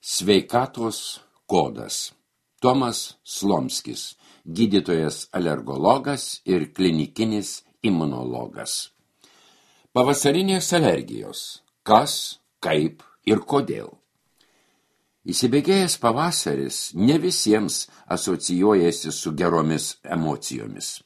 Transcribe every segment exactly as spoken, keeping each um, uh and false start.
Sveikatos kodas. Tomas Slomskis, gydytojas alergologas ir klinikinis imunologas. Pavasarinės alergijos. Kas, kaip ir kodėl? Įsibėgėjęs pavasaris ne visiems asocijuojasi su geromis emocijomis.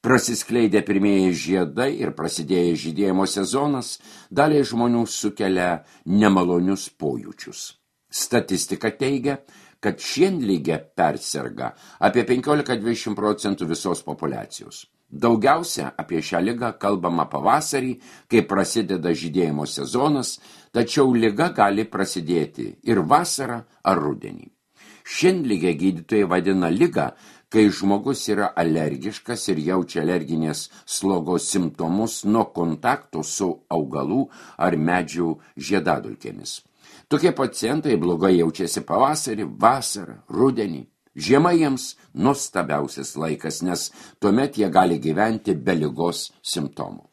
Prasiskleidę pirmieji žiedai ir prasidėjęs žydėjimo sezonas daliai žmonių sukelia nemalonius pojūčius. Statistika teigia, kad šienligę perserga apie penkiolika iki dvidešimt procentų visos populiacijos. Daugiausia apie šią ligą kalbama pavasarį, kai prasideda žydėjimo sezonas, tačiau liga gali prasidėti ir vasarą ar rudenį. Šienligę gydytojai vadina ligą, kai žmogus yra alergiškas ir jaučia alerginės slogos simptomus nuo kontakto su augalų ar medžių žiedadulkėmis. Tokie pacientai blogai jaučiasi pavasarį, vasarą, rudenį. Žiema jiems nuostabiausias laikas, nes tuomet jie gali gyventi be ligos simptomų.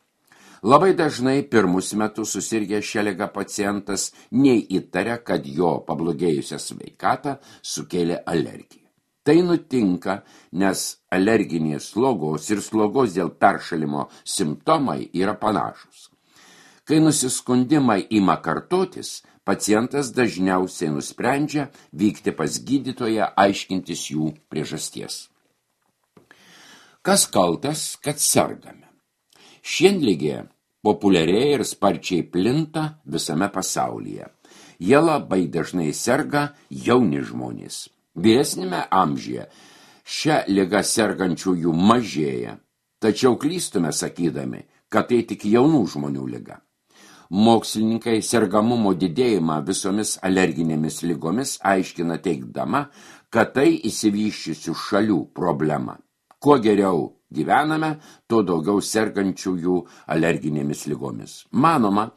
Labai dažnai pirmus metus susirgę šią ligą pacientas neįtaria, kad jo pablogėjusią sveikatą sukėlė alergija. Tai nutinka, nes alerginės slogos ir slogos dėl peršalimo simptomai yra panašus. Kai nusiskundimai ima kartotis, pacientas dažniausiai nusprendžia vykti pas gydytoją aiškintis jų priežasties. Kas kaltas, kad sergame? Šienligė populiarėja ir sparčiai plinta visame pasaulyje. Jie labai dažnai serga jauni žmonės. Vyresnėme amžiuje šią ligą sergančiųjų mažėja, tačiau klystume sakydami, kad tai tik jaunų žmonių liga. Mokslininkai sergamumo didėjimą visomis alerginėmis ligomis aiškina teigdama, kad tai išsivysčiusių šalių problema. Kuo geriau gyvename, tuo daugiau sergančiųjų alerginėmis ligomis. Manoma,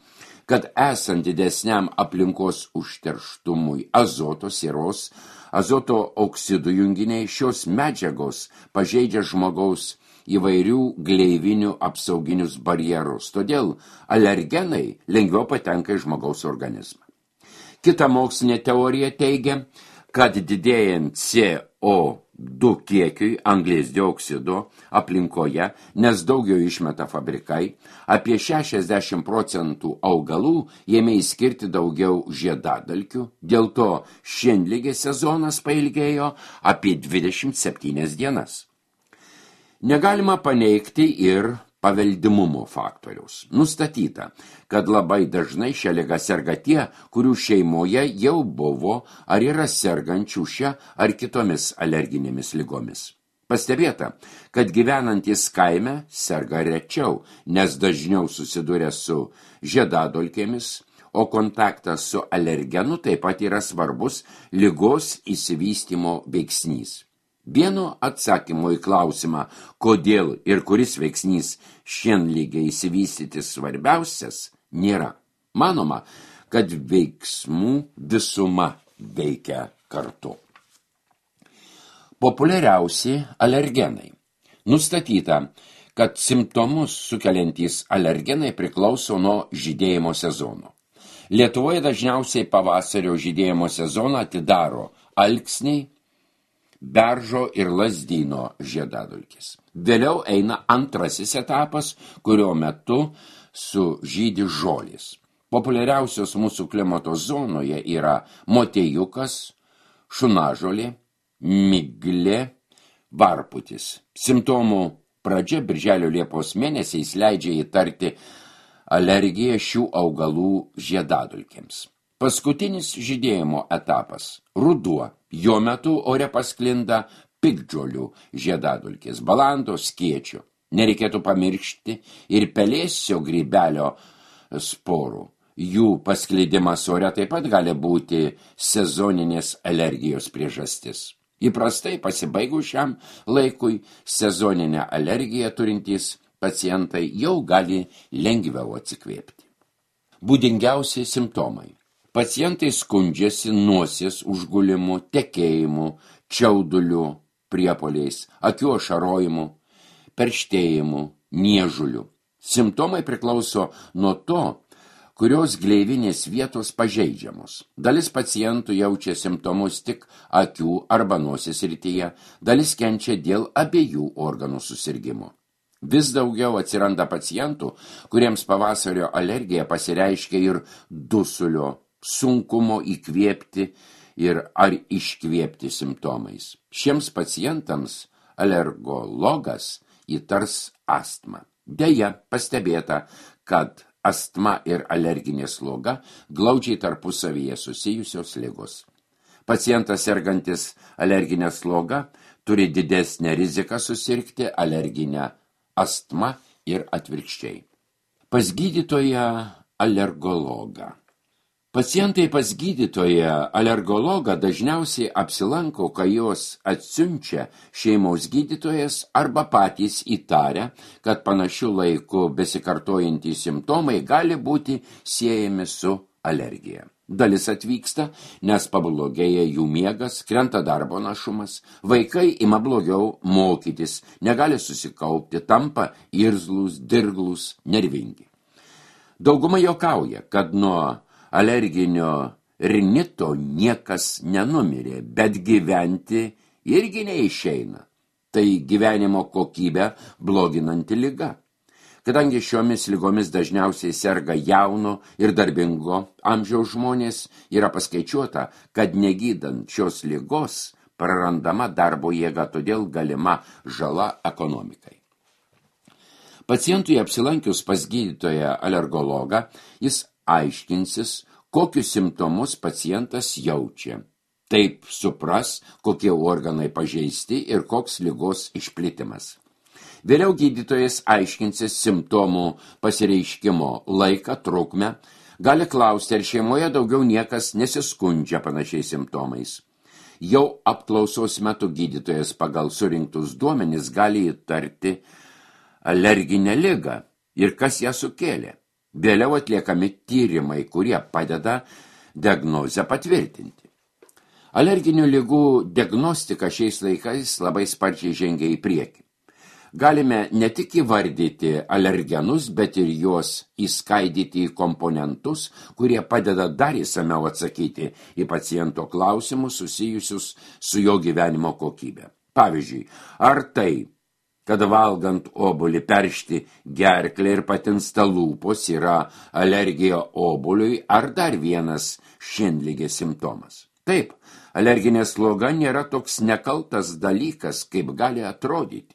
kad esant didesniam aplinkos užterštumui azoto sieros, azoto oksidų junginiai šios medžiagos pažeidžia žmogaus įvairių gleivinių apsauginius barjerus, todėl alergenai lengviau patenka į žmogaus organizmą. Kita mokslinė teorija teigia, kad didėjant C O du kiekiui anglies dioksido aplinkoje, nes daugiau išmeta fabrikai, apie šešiasdešimt procentų augalų ėmė įskirti daugiau žiedadulkių, dėl to šienligės sezonas pailgėjo apie dvidešimt septynias dienas. Negalima paneigti ir paveldimumo faktoriaus. Nustatyta, kad labai dažnai šią ligą serga tie, kurių šeimoje jau buvo ar yra sergančių šią ar kitomis alerginėmis ligomis. Pastebėta, kad gyvenantys kaime serga rečiau, nes dažniau susiduria su žiedadulkėmis, o kontaktas su alergenu taip pat yra svarbus ligos išsivystymo veiksnys. Vieno atsakymo į klausimą, kodėl ir kuris veiksnys šienligei išsivystyti svarbiausias, nėra. Manoma, kad veiksmų visuma veikia kartu. Populiariausi alergenai. Nustatyta, kad simptomus sukeliantys alergenai priklauso nuo žydėjimo sezono. Lietuvoje dažniausiai pavasario žydėjimo sezoną atidaro alksniai, beržo ir lazdyno žiedadulkės. Vėliau eina antrasis etapas, kurio metu sužydi žolės. Populiariausios mūsų klimato zonoje yra motiejukas, šunažolė, miglė, varputis. Simptomų pradžia birželio liepos mėnesiais leidžia įtarti alergiją šių augalų žiedadulkėms. Paskutinis žydėjimo etapas – ruduo. Jo metu ore pasklinda piktžolių žiedadulkės, balando, skiečio. Nereikėtų pamiršti ir pelėsio grybelio sporų. Jų pasklidimas ore taip pat gali būti sezoninės alergijos priežastis. Įprastai pasibaigus šiam laikui sezoninę alergiją turintys pacientai jau gali lengviau atsikvėpti. Būdingiausi simptomai. Pacientai skundžiasi nosies užgulimu, tekėjimu, čiauduliu, priepuoliais, akių ašarojimu, perštėjimu, niežuliu. Simptomai priklauso nuo to, kurios gleivinės vietos pažeidžiamos. Dalis pacientų jaučia simptomus tik akių arba nosies srityje, dalis kenčia dėl abiejų organų susirgimo. Vis daugiau atsiranda pacientų, kuriems pavasario alergija pasireiškia ir dusulio, sunkumo įkvėpti ir ar iškvėpti simptomais. Šiems pacientams alergologas įtars astmą. Deja, pastebėta, kad astma ir alerginė sloga glaudžiai tarpusavyje susijusios ligos. Pacientas sergantis alerginę slogą turi didesnę riziką susirgti alerginę astma ir atvirkščiai. Pas gydytoją alergologą. Pacientai pas gydytoją alergologą dažniausiai apsilanko, kai jos atsiunčia šeimos gydytojas arba patys įtarę, kad panašiu laiku besikartojantys simptomai gali būti siejami su alergija. Dalis atvyksta, nes pablogėja jų miegas, krenta darbo našumas, vaikai ima blogiau mokytis, negali susikaupti, tampa irzlūs, dirglūs, nervingi. Dauguma juokauja, kad nuo alerginio rinito niekas nenumirė, bet gyventi irgi neišeina. Tai gyvenimo kokybę bloginanti liga. Kadangi šiomis ligomis dažniausiai serga jauno ir darbingo amžiaus žmonės, yra paskaičiuota, kad negydant šios ligos prarandama darbo jėga, todėl galima žala ekonomikai. Pacientui apsilankius pas gydytoją alergologą, jis aiškinsis, kokius simptomus pacientas jaučia. Taip supras, kokie organai pažeisti ir koks ligos išplitimas. Vėliau gydytojas aiškinsis simptomų pasireiškimo laiką, trukmę, gali klausti, ar šeimoje daugiau niekas nesiskundžia panašiais simptomais. Jau apklausos metu gydytojas pagal surinktus duomenis gali įtarti alerginę ligą ir kas ją sukėlė. Vėliau atliekami tyrimai, kurie padeda diagnozę patvirtinti. Alerginių ligų diagnostika šiais laikais labai sparčiai žengia į priekį. Galime ne tik įvardyti alergenus, bet ir juos įskaidyti į komponentus, kurie padeda dar įsamiau atsakyti į paciento klausimus susijusius su jo gyvenimo kokybė. Pavyzdžiui, ar tai, kad valgant obuolį peršti gerklę ir patinsta lūpos yra alergija obuoliui, ar dar vienas šienligės simptomas. Taip, alerginė sloga nėra toks nekaltas dalykas, kaip gali atrodyti.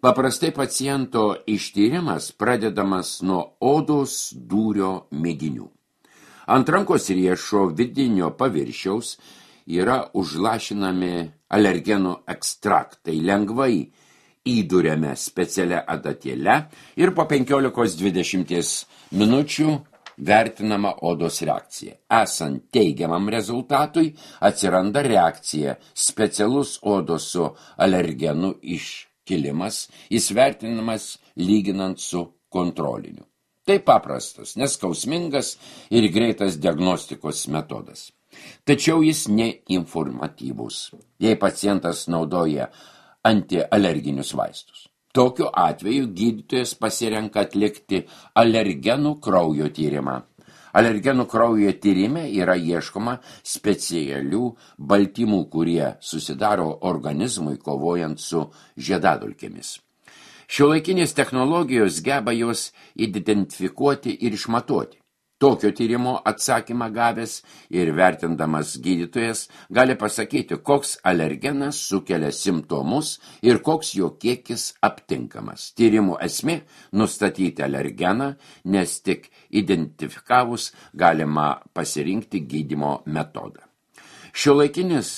Paprastai paciento ištyrimas pradedamas nuo odos dūrio mėginių. Ant rankos riešo vidinio paviršiaus yra užlašinami alergenų ekstraktai, lengvai įduriame specialią adatėlę ir po penkiolikos dvidešimt minučių vertinama odos reakcija. Esant teigiamam rezultatui atsiranda reakcija, specialus odos su alergenu iškilimas, jis vertinamas lyginant su kontroliniu. Tai paprastas, neskausmingas ir greitas diagnostikos metodas. Tačiau jis neinformatyvus, jei pacientas naudoja antialerginius vaistus. Tokiu atveju gydytojas pasirenka atlikti alergenų kraujo tyrimą. Alergenų kraujo tyrime yra ieškoma specialių baltymų, kurie susidaro organizmui kovojant su žiedadulkėmis. Šiuolaikinės technologijos geba juos identifikuoti ir išmatuoti. Tokio tyrimo atsakymą gavęs ir vertindamas gydytojas gali pasakyti, koks alergenas sukelia simptomus ir koks jo kiekis aptinkamas. Tyrimų esmė – nustatyti alergeną, nes tik identifikavus galima pasirinkti gydymo metodą. Šiuolaikinis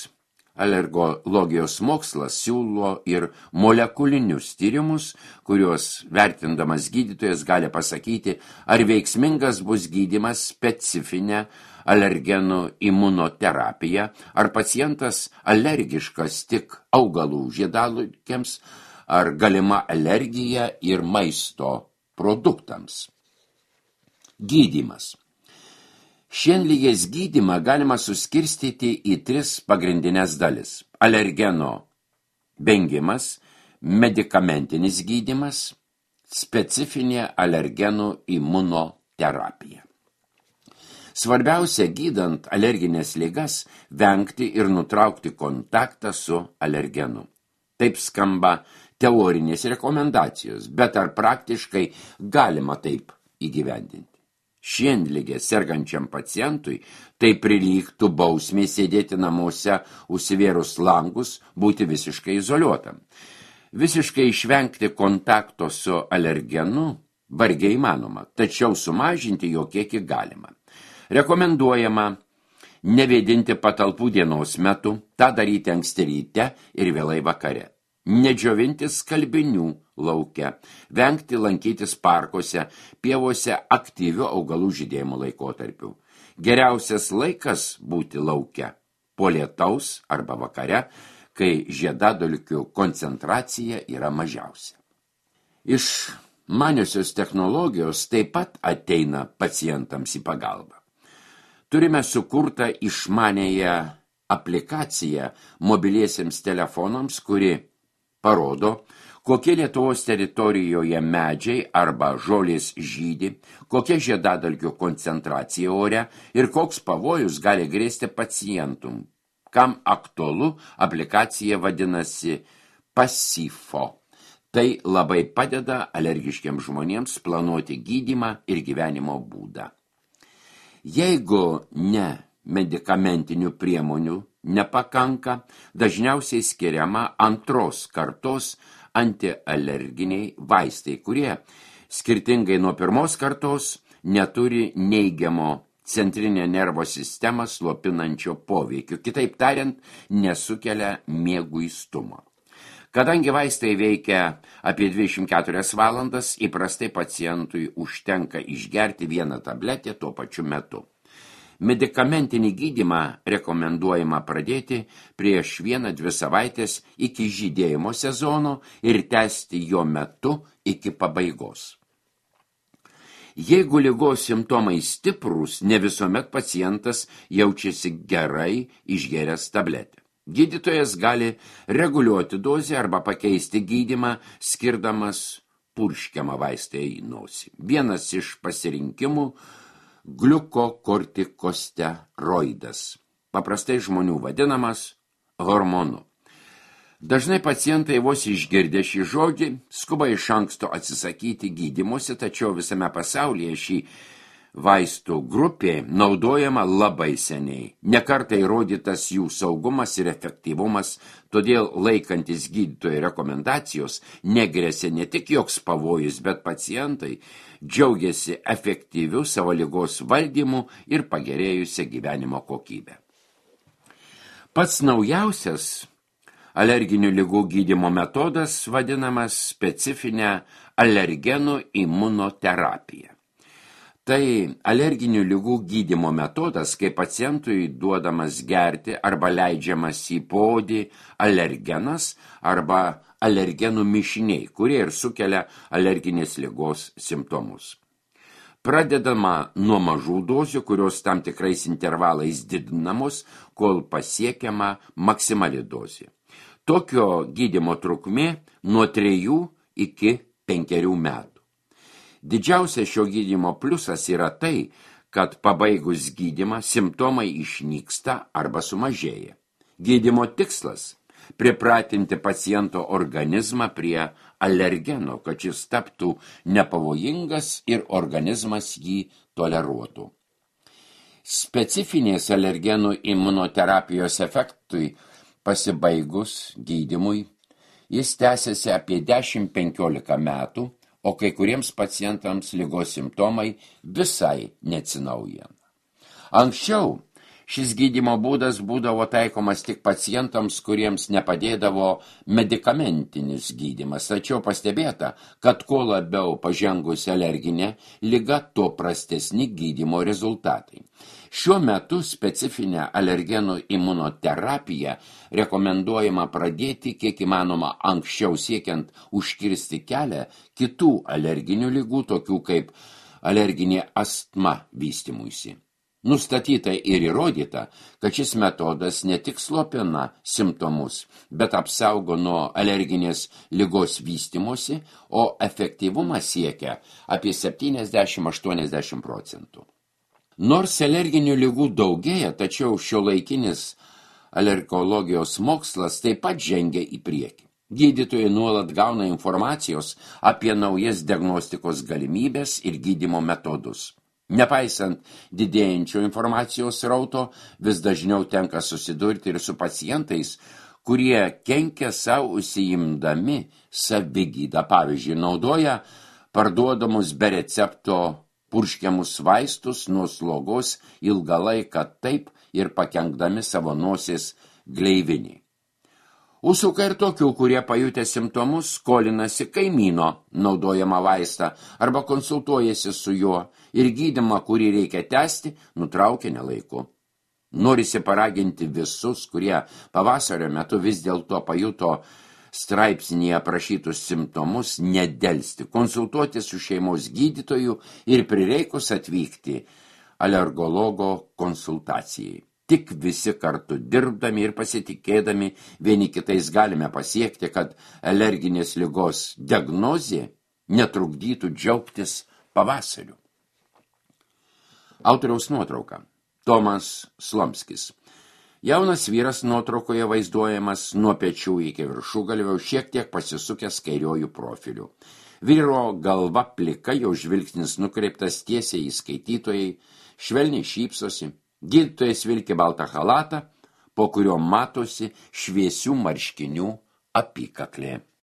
alergologijos mokslas siūlo ir molekulinius tyrimus, kuriuos vertindamas gydytojas gali pasakyti, ar veiksmingas bus gydymas specifinė alergenų imunoterapija, ar pacientas alergiškas tik augalų žiedadulkėms, ar galima alergija ir maisto produktams. Gydymas. Šienligės gydymą galima suskirstyti į tris pagrindinės dalis. Alergeno vengimas, medikamentinis gydymas, specifinė alergenų imunoterapija. terapija. Svarbiausia, gydant alerginės ligas, vengti ir nutraukti kontaktą su alergenu. Taip skamba teorinės rekomendacijos, bet ar praktiškai galima taip įgyvendinti? Šienligė sergančiam pacientui tai prilygtų bausmė sėdėti namuose, užsivėrus langus, būti visiškai izoliuotam. Visiškai išvengti kontakto su alergenu vargiai įmanoma, tačiau sumažinti jo kiekį galima. Rekomenduojama nevėdinti patalpų dienos metu, tą daryti anksti ryte ir vėlai vakare. Nedžiovinti skalbinių lauke, vengti lankytis parkuose, pievose aktyvių augalų žydėjimo laikotarpių. Geriausias laikas būti lauke po lietaus arba vakare, kai žiedadulkių koncentracija yra mažiausia. Iš maniosios technologijos taip pat ateina pacientams į pagalbą. Turime sukurtą išmanėją aplikaciją mobiliesiems telefonams, kuri parodo, kokie Lietuvos teritorijoje medžiai arba žolės žydi, kokia žiedadulkių koncentracija ore ir koks pavojus gali grėsti pacientum. Kam aktualu, aplikacija vadinasi Pasifo. Tai labai padeda alergiškiams žmonėms planuoti gydymą ir gyvenimo būdą. Jeigu ne medikamentinių priemonių nepakanka, dažniausiai skiriama antros kartos antialerginiai vaistai, kurie, skirtingai nuo pirmos kartos, neturi neigiamo centrinę nervo sistemą slopinančio poveikio, kitaip tariant, nesukelia mieguistumo. Kadangi vaistai veikia apie dvidešimt keturias valandas, įprastai pacientui užtenka išgerti vieną tabletę tuo pačiu metu. Medikamentinį gydymą rekomenduojama pradėti prieš vieną dvi savaitės iki žydėjimo sezono ir tęsti jo metu iki pabaigos. Jeigu ligos simptomai stiprūs, ne visuomet pacientas jaučiasi gerai išgėręs tabletę. Gydytojas gali reguliuoti dozę arba pakeisti gydymą, skirdamas purškiamą vaistą į nosį. Vienas iš pasirinkimų gliukokortikosteroidas, paprastai žmonių vadinamas hormonu. Dažnai pacientai vos išgirdę šį žodį skuba iš anksto atsisakyti gydymosi, tačiau visame pasaulyje šį vaistų grupė naudojama labai seniai. Nekartą įrodytas jų saugumas ir efektyvumas, todėl laikantis gydytojo rekomendacijos negresia ne tik joks pavojus, bet pacientai džiaugiasi efektyviu savo ligos valdymu ir pagerėjusią gyvenimo kokybę. Pats naujausias alerginių ligų gydymo metodas vadinamas specifinė alergenų imunoterapija. Tai alerginių ligų gydymo metodas, kai pacientui duodamas gerti arba leidžiamas į poodį alergenas arba alergenų mišiniai, kurie ir sukelia alerginės ligos simptomus. Pradedama nuo mažų dozių, kurios tam tikrais intervalais didinamos, kol pasiekiama maksimali dozė. Tokio gydymo trukmė nuo trejų iki penkerių metų. Didžiausias šio gydymo pliusas yra tai, kad pabaigus gydymą simptomai išnyksta arba sumažėja. Gydymo tikslas – pripratinti paciento organizmą prie alergeno, kad šis taptų nepavojingas ir organizmas jį toleruotų. Specifinės alergenų imunoterapijos efektui pasibaigus gydymui, jis tęsiasi apie dešimt penkiolika metų, o kai kuriems pacientams ligos simptomai visai neatsinaujina. Anksčiau šis gydymo būdas būdavo taikomas tik pacientams, kuriems nepadėdavo medikamentinis gydymas, tačiau pastebėta, kad kuo labiau pažengusi alerginė liga, tuo prastesni gydymo rezultatai. Šiuo metu specifinę alergenų imunoterapiją rekomenduojama pradėti kiek įmanoma anksčiau, siekiant užkirsti kelią kitų alerginių ligų, tokių kaip alerginė astma vystymuisi. Nustatyta ir įrodyta, kad šis metodas ne tik slopina simptomus, bet apsaugo nuo alerginės ligos vystymosi, o efektyvumas siekia apie septyniasdešimt iki aštuoniasdešimt procentų. Nors alerginių ligų daugėja, tačiau šiuolaikinis alergologijos mokslas taip pat žengia į priekį. Gydytojai nuolat gauna informacijos apie naujas diagnostikos galimybės ir gydymo metodus. Nepaisant didėjančio informacijos srauto, vis dažniau tenka susidurti ir su pacientais, kurie kenkia savo užsiimdami savigydą. Pavyzdžiui, naudoja parduodamus be recepto purškiamus vaistus nuo slogos ilgą laiką taip ir pakenkdami savo nosies gleivinį. Užsuka ir tokių, kurie pajutę simptomus skolinasi kaimyno naudojamą vaistą arba konsultuojasi su juo ir gydymą, kurį reikia tęsti, nutraukia nelaiku. Norisi paraginti visus, kurie pavasario metu vis dėlto pajuto straipsnyje aprašytus simptomus, nedelsti, konsultuoti su šeimos gydytoju ir prireikus atvykti alergologo konsultacijai. Tik visi kartu dirbdami ir pasitikėdami vieni kitais galime pasiekti, kad alerginės ligos diagnozė netrukdytų džiaugtis pavasariu. Autoriaus nuotrauka. Tomas Slomskis. Jaunas vyras nuotraukoje vaizduojamas nuo pečių iki viršugalvio, šiek tiek pasisukęs kairiojų profiliu. Vyro galva plika, jo žvilgsnis nukreiptas tiesiai į skaitytojai, švelniai šypsosi. Gydytojas vilki baltą chalatą, po kurio matosi šviesių marškinių apykaklė.